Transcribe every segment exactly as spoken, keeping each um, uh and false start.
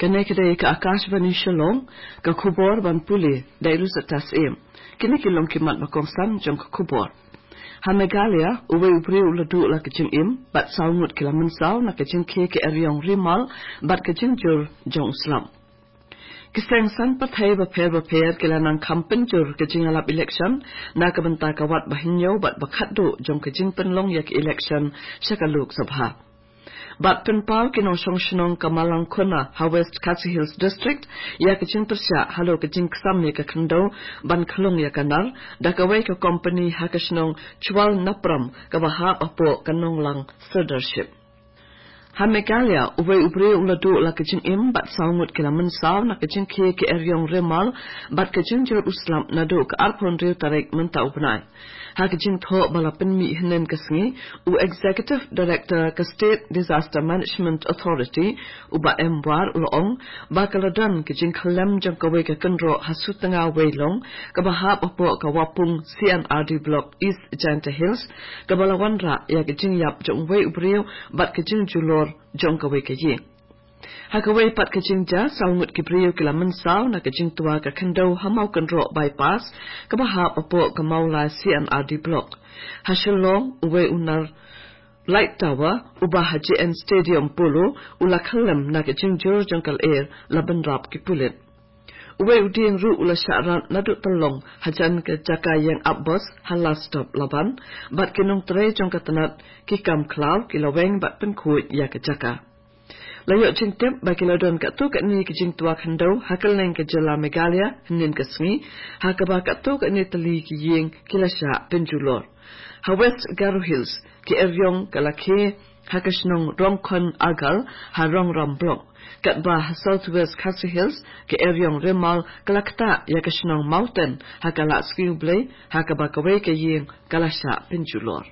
Kane ka dei ka Akashvani Shillong, ka khubor ban pule da i Lucetta Syiem. Kine ki long ki mat ba kongsan jong ka khubor. Ha Meghalaya, uwei u briew u la duh la ka jingim, bad saw ngut ki la mynsaw na ka jingkhie ka eriong rimal, bad ka jingjur jong u slap. Ki seng saiñ pyrthei bapher bapher ki la nang kham pynjur ka jingïalap election, na ka bynta ka wat ba hynñiew bad ba khatduh jong ka jingpynlong ïa ka election sha ka Lok Sabha. Bad pynpaw ki nongshong shnong ka Malangkona ha West Khasi Hills District, ïa ka jingpyrshah halor ka jingksam ïa ka khyndew ban khlong ïa ka nar, da kawei ka kompani ha ka shnong Chwal Napram kaba hap hapoh ka Nonglang Sirdarship. Ha Meghalaya, uwei u briew u la duh la ka jingim bad saw ngut ki la mynsaw na ka jingkhie ka eriong rimal, bad ka jingjur u slap naduh ka arphew hynriew tarik mynta u bnai. Ha ka jingthoh ba la pynmih hynnin ka sngi, u Executive Director ka State Disaster Management Authority, u Bah M War u la ong, ba ka la don ka jingkhyllem jong kawei ka kynroh ha Sutnga Weilong, kaba hap hapoh ka Wapung C and R D Block East Jaintia Hills, kaba la wanrah ïa ka jingïap jong uwei u briew bad ka jingjulor jong kawei ka ïing. Ha kawei pat ka jingjia, saw ngut ki briew ki la mynsaw na ka jingtwa ka khyndew ha Mawkynroh Bypass, kaba hap hapoh ka Mawlai C and R D Block. Ha Shillong, uwei u nar light tower uba ha J N Stadium Polo u la khyllem na ka jingjur jong ka lyer, la bynrap ki pulit. Uwei u dieng ruh u la shah rat naduh tyllong hajan ka jaka ïeng ap bos ha Last Stop Laban, bad ki nongtrei jong ka tnat ki kam khlaw ki la weng bad pynkhuid ïa ka jaka. La ïoh jingtip ba ki la don katto katne ki jingtwa khyndew ha kylleng ka jylla Meghalaya hynnin ka sngi, ha kaba katto katne tylli ki ïing ki la shah pynjulor. Ha West Garo Hills, ka eriong ka la khie ha ka shnong Rongkhon Agal ha Rongram Block, katba ha South West Khasi Hills, ka eriong rimal ka la ktah ïa ka shnong Mawten ha ka Lahsngiewblei, ha kaba kawei ka ïing ka la shah pynjulor.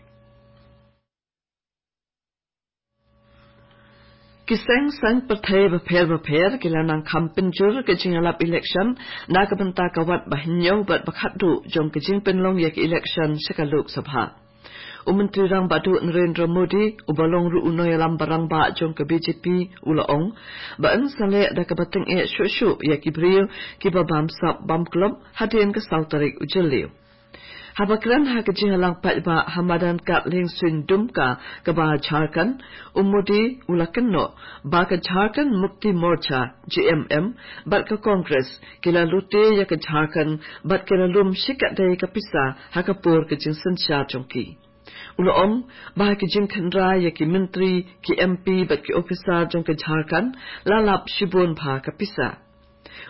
Ki seng saiñ pyrthei bapher bapher ki la nang kham pynjur ka jingïalap election na ka bynta ka wat ba hynñiew bad ba khatduh jong ka jingpynlong ïa ka election sha ka Lok Sabha. U Myntri Rangbah Duh Narendra Modi, uba long ruh u nongïalam ba rangbah jong ka B J P, u la ong ba yn sa leh da kaba tyngeh shuh shuh ïa ki briew kiba bam sap bam klop hadien ka saw tarik u Jylliew. Haba kren ha ka jingïalang paidbah ha madan Katling Suin Dumka kaba Jharkhand, u Modi u la kynnoh ba ka Jharkhand Mukti Morcha, J M M, bad ka Congress ki la lute ïa ka Jharkhand bad ki la lum shikatdei ka pisa ha ka por ka jingsynshar jong ki. U la ong ba ha ka jingkhynra ïa ki myntri, ki M P bad ki ophisar jong ka Jharkhand, la lap shibun bha ka pisa.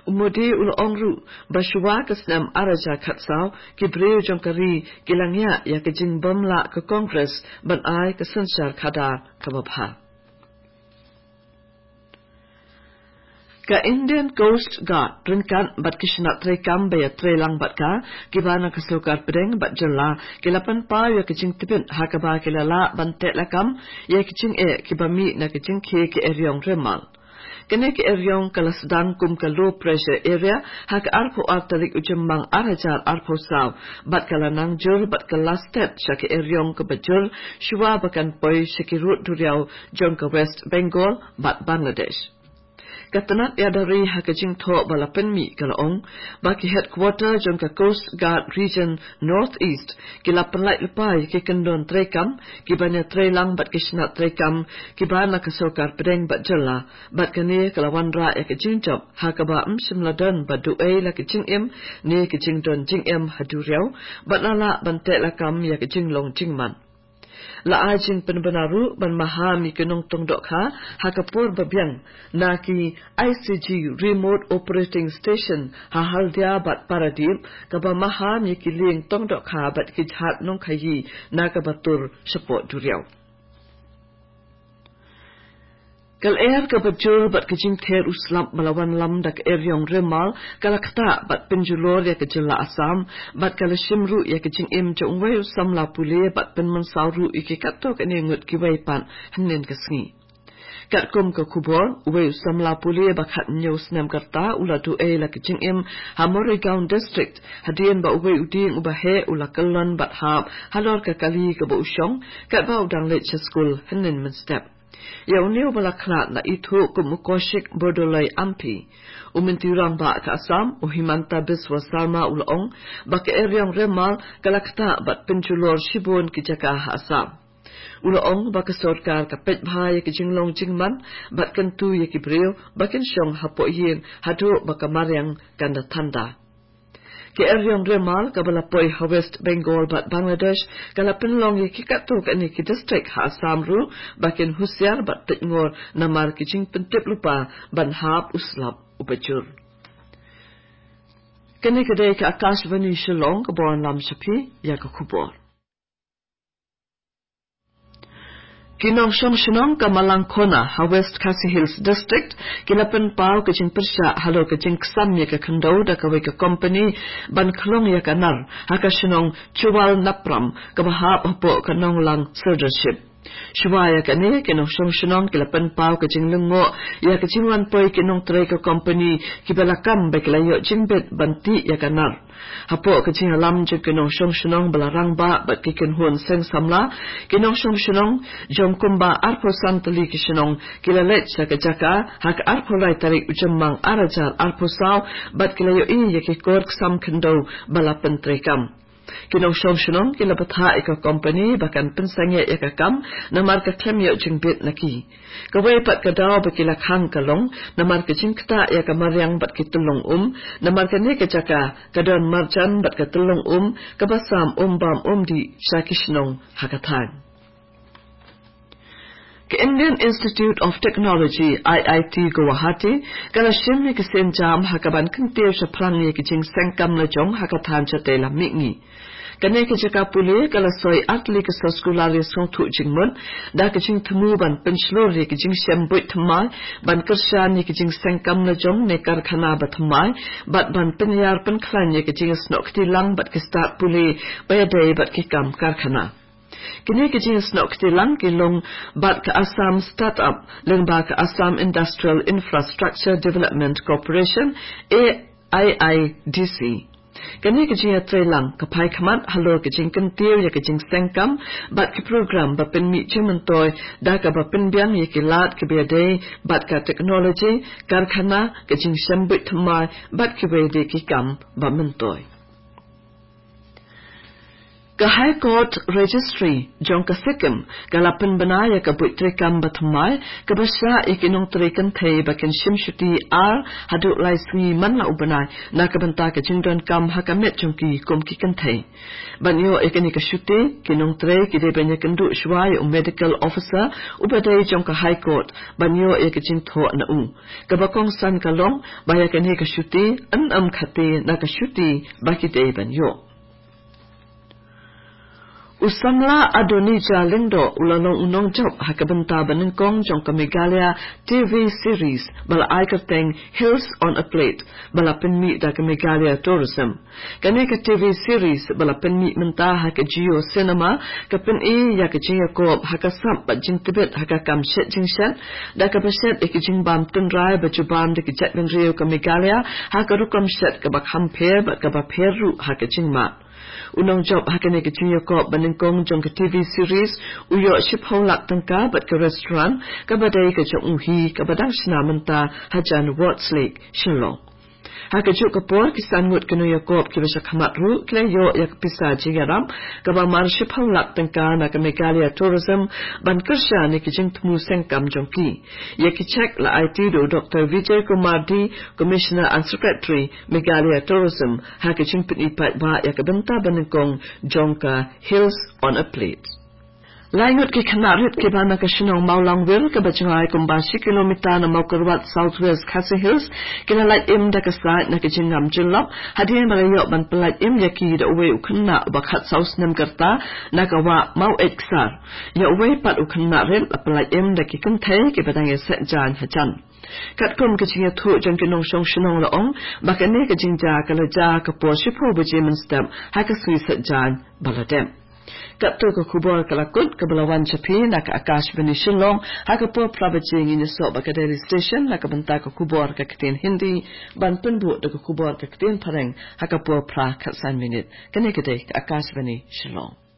U Modi u la ong ruh ba shuwa ka snem ar hajar khatsaw, ki briew jong ka ri ki la ngiah ïa ka jingbym lah ka Congress ban ai ka synshar khadar kaba bha. Ka Indian Coast Guard ryngkat bad ki shnat treikam ba ïatreilang bad ka, kiba na ka sorkar pdeng bad jylla, ki la pynpaw ïa ka jingtbit ha kaba ki la lah ban teh lakam ïa ki jingeh kiba mih na ka jingkhie ka eriong rimal. Kane ka eriong ka la sdang kum ka low pressure area ha ka arphew ar tarik u Jymmang ar hajar arphew saw, bad ka la nang jur bad ka la stet sha ka eriong kaba jur shuwa ba kan poi sha ki rud duriaw jong ka West Bengal bad Bangladesh. Ka tnat ïada ri ha ka jingthoh ba la pynmih ka la ong ba ki headquarter jong ka Coast Guard Region North East ki la pynlait lypa ïa ki kyndon treikam kiban ïatreilang bad ki shnat treikam kiba na ka sorkar pdeng bad jylla, bad kane ka la wanrah ïa ka jingjop ha kaba ym shym la don ba duh ei la ka jingim ne ka jingdon jingem ha duriaw, bad la lah ban teh lakam ïa ka jinglong jingman. La ai jingpynbna ruh ban maham ïa ki nongtong dohkha ha ka por ba biang na ki I C G Remote Operating Station ha Haldia bad Paradip, kaba maham ïa ki lieng tong dohkha bad ki jhat nongkhaïi na kaba tur shapoh duriaw. Ka lyer kaba jur bad ka jingther u slap ba la wanlam da ka eriong rimal ka la ktah bad pynjulor ïa ka jylla Assam, bad ka la shim ruh ïa ka jingim jong uwei u samla pule bad pynmynsaw ruh ïa ki katto katne ngut kiwei pat hynnin ka sngi. Katkum ka khubor, uwei u samla pule ba khathynñiew snem ka rta u la duh ei la ka jingim ha Morigaon District, hadien ba uwei u dieng uba heh u la kyllon bad hap halor ka kali kaba u shong katba u dang leit sha skul hynnin mynstep. Ïa une uba la khlad na ithuh kum u Kaushik Bordoloi M P, u Myntri Rangbah ka Assam, u Himanta Biswa Sarma u la ong ba ka Eriong Remal ka la ktah bad pynjulor shibun ki jaka ha Assam. U la ong ba ka sorkar ka peit bha ïa ki jinglong jingman bad kyntu ïa ki briew ba kin shong hapoh ïing haduh ba ka mariang kan da thanda. Ka Eriong Remal kaba la poi ha West Bengal bad Bangladesh ka la pynlong ïa ki katto katne ki district ha Assam ruh ba kin husiar bad peit ngor namar ki jingpyntip lypa ban hap u slap uba jur. Kane ka dei ka Akashvani Shillong kaba wanlam sha phi ïa ka khubor. Ki nongshong shnong ka Malangkona ha West Khasi Hills District ki la pynpaw ka jingpyrshah halor ka jingksam ïa ka khyndew da kawei ka company ban khlong ïa ka nar ha ka shnong Chuwal Napram kaba hap hapoh ka Nonglang Sirdarship. Shuwa ïa kane ki nongshong shnong ki la pynpaw ka jinglyngngoh ïa ka jingwan poi ki nongtrei ka company kiba la kam ba ki la ïoh jingbit ban tih ïa ka nar. Hapoh ka jingïalam jong ki nongshong shnong ba la rangbah bad ki kynhun seng samla, ki nongshong shnong jong kumba arphew san tylli ki shnong ki la leit sha ka jaka ha ka arphew lai tarik u Jymmang ar hajar arphew saw bad ki la ïohi ïa ki kor ksam khyndew ba la pyntreikam. Ki nongshong shnong ki la bthah ïa ka company ba kan pynsangeh ïa ka kam namar ka khlem ïoh jingbit na ki. Kawei pat ka daw ba ki la khang ka long namar ka jingktah ïa ka mariang bad ki tyllong um, namar kane ka jaka ka don marjan bad ka tyllong um kaba sam um bam um dih sha ki shnong ha ka thaiñ. Ka Indian Institute of Technology, I I T Guwahati, ka la shim ïa ka sienjam ha kaban kyntiew shaphrang ïa ka jingseng kam la jong ha ka thaiñ shatei lam mihngi. Kane ka jaka pule ka la soi ar tylli ka soskular ïasngewthuh jingmut da ka jingthmu ban pynshlur ïa ka jingshem buit thymmai, ban kyrshan ïa ka jingseng kam la jong ne karkhana ba thymmai, bad ban pynïar pynkhlaiñ ïa ka jingsnoh kti lang bad ka stad pule ba ïadei bad ki kam karkhana. Kine ki jingsnoh kti lang ki long bad ka Assam Startup lyngba ka Assam Industrial Infrastructure Development Corporation, A I I D C. Kane ka jingïatreilang ka phai khmat halor ka jingkyntiew ïa ka jingseng kam bad ki program ba pynmih jingmyntoi da kaba pynbiang ïa ki lad kiba ïadei bad ka technology, karkhana, ka jingshem buit thymmai bad kiwei de ki kam ba myntoi. Ka High Court Registry jong ka Sikkim ka la pynbna ïa ka buit treikam ba thymmai kaba shah ïa ki nongtrei kynthei ba kin shim shuti ar haduh lai sngi man la u bnai na ka bynta ka jingdonkam ha ka met jong ki kum ki kynthei. Ban ïoh ïa kane ka shuti, ki nongtrei ki dei ban ïakynduh shuwa ïa u medical officer uba dei jong ka High Court ban ïoh ïa ka jingthoh na u. Kaba kongsan ka long ba ïa kane ka shuti yn ym khate na ka shuti ba ki dei ban ïoh. U samla Adonija Lyngdoh u la long u nongjop ha ka bynta ba nyngkong jong ka Meghalaya T V series ba la ai kyrteng Hills on a Plate ba la pynmih da ka Meghalaya Tourism. Kane ka T V series ba la pynmih mynta ha ka Jio Cinema ka pyni ïa ka jingïakop ha ka sap bad jingtbit ha ka kam shet jingshet da kaba shet ïa ka jingbam tynrai ba ju bam da ka jaitbynriew ka Meghalaya ha ka rukom shet kaba kham pher bad kaba pher ruh ha ka jingmad. U nongjop ha kane ka jingïakop ba nyngkong jong ka T V series u ïoh shiphew lak tyngka bad ka restaurant kaba dei ka jong u hi kaba dang shna mynta hajan Wards Lake, Shillong. Ha kajuh ka por ki san ngut ki nongïakop kiba sha khmat ruh ki la ïoh ïa ka pisa jingïarap kaba mar shiphew lak tyngka na ka Meghalaya Tourism ban kyrshan ïa ki jingthmu seng kam jong ki. Ïa ki cheque la aiti da u Doktor Vijay Kumar D, Commissioner and Secretary Meghalaya Tourism, ha ka jingpyni paidbah ïa ka bynta ba nyngkong jong ka Hills on a Plate. Lai ngut ki khynnah rit kiba na ka shnong Mawlangwir kaba jngai kumba shi kilometer na Mawkyrwat, South West Khasi Hills, ki la lait im da ka sait na ka jingngam jyllop hadien ba la ïoh ban pyllait im ïa ki da uwei u khynnah uba khatsaw snem ka rta na ka wah Mawieit Ksar. Ïa uwei pat u khynnah rit la pyllait im da ki kynthei kiba dang ïaseh jaiñ hajan. Katkum ka jingïathuh jong ki nongshong shnong la ong ba kane ka jingjia ka la jia ha ka por shiphew baje mynstep ha ka sngi seh jaiñ ba la dep. Katto ka khubor ka la kut kaba la wan sha phi na ka Akashvani Shillong. Ha ka por phra baje ngin ïasoh bad ka Delhi Station na ka bynta ka khubor ka ktien Hindi ban pynbuh da ka khubor ka ktien Phareng ha ka por phra khatsan minit. Kane ka dei ka Akashvani Shillong.